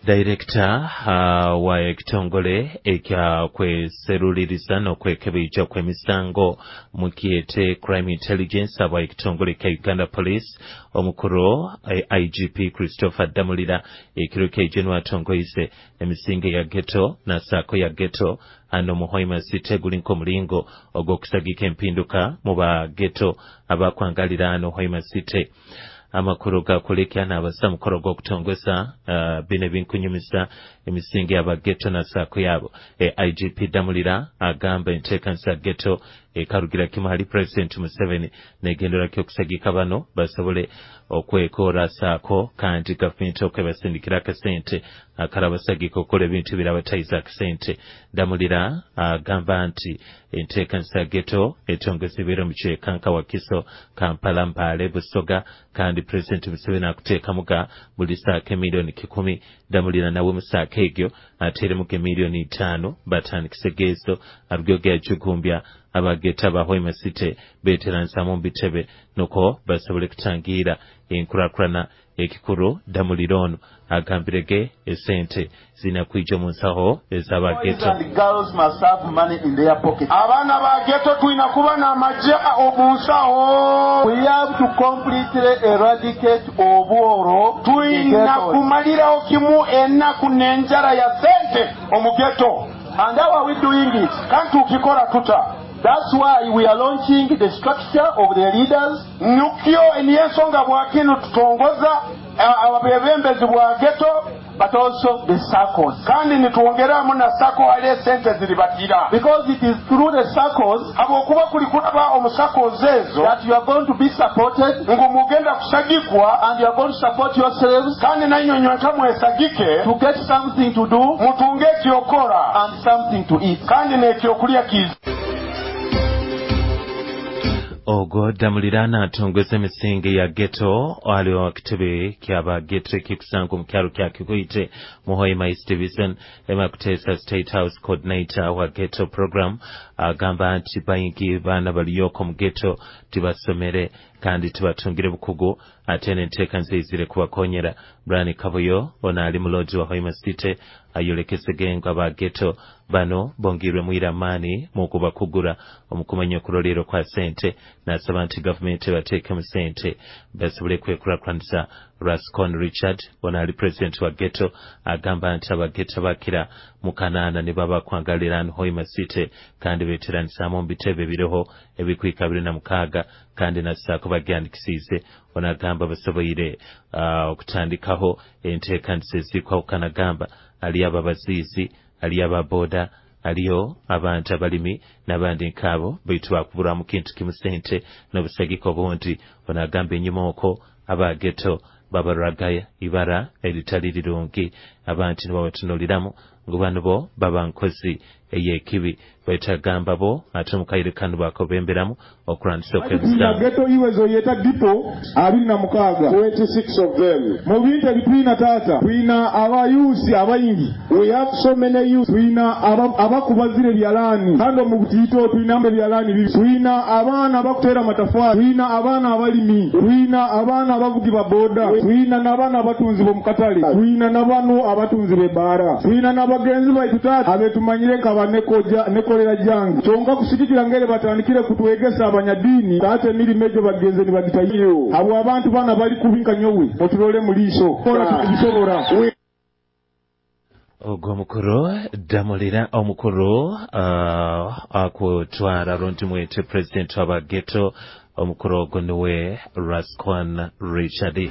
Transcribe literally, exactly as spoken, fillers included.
Director uh, wa ekitongole ekyakweseruliriza n'okwekebeija kw'emisango mukyete Crime Intelligence aba ekitongole kya Uganda Police omukuru I G P Christopher Damulira ekiro kya atongoize emisinge ya ghetto na sako ya ghetto ano mu Hoima City gulinko mulingo ogw'okusagika empinduka mu ba ghetto abakwangalira ano Hoima City. Amakuru gakulekya n'abasa mukoro gw'okutongeza uh, bino binkunyumisa emisingi y'abageto na sako yabo. E, I G P Damulira agamba enteekanisa ghetto ekarugira kimu hali President Museveni negendera kyokusagika bano basobole okwekora sako kandi gavumenti okwebasindikira akasente akarabasagika okukola ebintu birabatayiza akasente. Damulira agamba nti enteekanisa ghetto etongezebwera mu Kyekanka, Wakiso, Kampala, Mbale, Busoga kandi President Museveni akuteekamuga buli saako emiliyoni kikumi. Damulira nawe mu saako egyo ateeremuga emiliyoni itaano batandikise geezo arugyoge yajugumbya abageta ba Hoima City beteransamu bitebe nuko basobole kutangira enkurakurana ekikuru. Damulira ono agambirege esente zinakwija mu nsaho ez'abageto. Abaana ba ghetto tulina kuba n'amagye omu nsaho. We have to completely eradicate obworo. Tulina kumalirawo kimu ennaku n'enjala ya sente omu ghetto. And how are we doing it? Kandi tukikola tuta? That's why we are launching the structure of the leaders. Nukyo niyo ensonga bwakino tutongoza abebembezi bwa ghetto, but also the circles. Kandi nitwongeramu na sako hali sente ziribatira. Because it is through the circles habwokuba kuli kulaba omu circles ezo that you are going to be supported, ngu mugenda kusagikwa, and you are going to support yourselves, kandi nanyonywe nkamwesagike to get something to do, mutunge ekyokora and something to eat, kandi n'ekyokulya kiza. Ogwo Damulira n'atongeza emisingi ya ghetto aliwo kitebe kyaba ghetto ekikusango mu kyalo kya Kikuite mu Hoima East Division. Emma Kutesa State House Coordinator wa ghetto program agamba nti bayingi baana baliyoko mu ghetto tibasomere kandi tibatungire bukugu ate n'enteeka nzeyizire kubakonyera. Brian Kabuyo ono ali muloji wa Hoima City ayolekesege nga ba ghetto bano bongirwe mwiramaani mu kubakugura omukumanya okulolero kwa sente n'asaba nti gavumenti bateekemu sente basobole kwekulakulanisa. Rascon Richard ono ali president wa ghetto agamba nti abaghetto bakira mu kanaana ne baba kwangalira Hoima City kandi beeteranisaamu mu bitebe biriho ebikwika biri na mukaaga kandi nassaako bagyandikisiize. Ono agamba basoboire uh, okutandikaho enteekanisa ezikwawukana gamba ali ababaziizi, ali ababoda, aliyo abantu abalimi n'abandi nkaabo baitu bakuburamu kintu kimu sente n'obusagika obundi. Ono agamba enyuma okwo abageto babaragaya ibara eritali rirungi abantu nibabatunuliramu ngu bano bo baba nkozi ey'ekibi baitu agamba bo ate omukaire kano bakobemberamu okulwanyisa okw'emisango. Ghetto iwezo yeta dipo abiri na mukaaga. twenty-six of them. Mu bintu ebitulina taata tulina abayusi abayingi. We have so many youth. Tulina abakubazira ebyalaani kandi omu butiito tulina ebyalaani bibiri. Tulina abaana abakuteera amatafaali, tulina abaana abalimi, tulina abaana abavugi ba boda, tulina n'abaana abatunzi b'omu katale, tulina n'abano abatunzi b'ebbaara, tulina n'abagenzi baitu taata abetumanyire nka nekolera jange. Kyonka kusigikira ngere batandikire kutwegesa abanyadiini taata emirimu egyo bagenze nibagitayo. Abo abantu bana bali kubinka nyowe otulole mu liiso kola tubisobora. Ogwo omukuru Damulira omukuru uh, akutwara rundi mwete president w'abageto omukuru ogwo niwe Rascon Richard.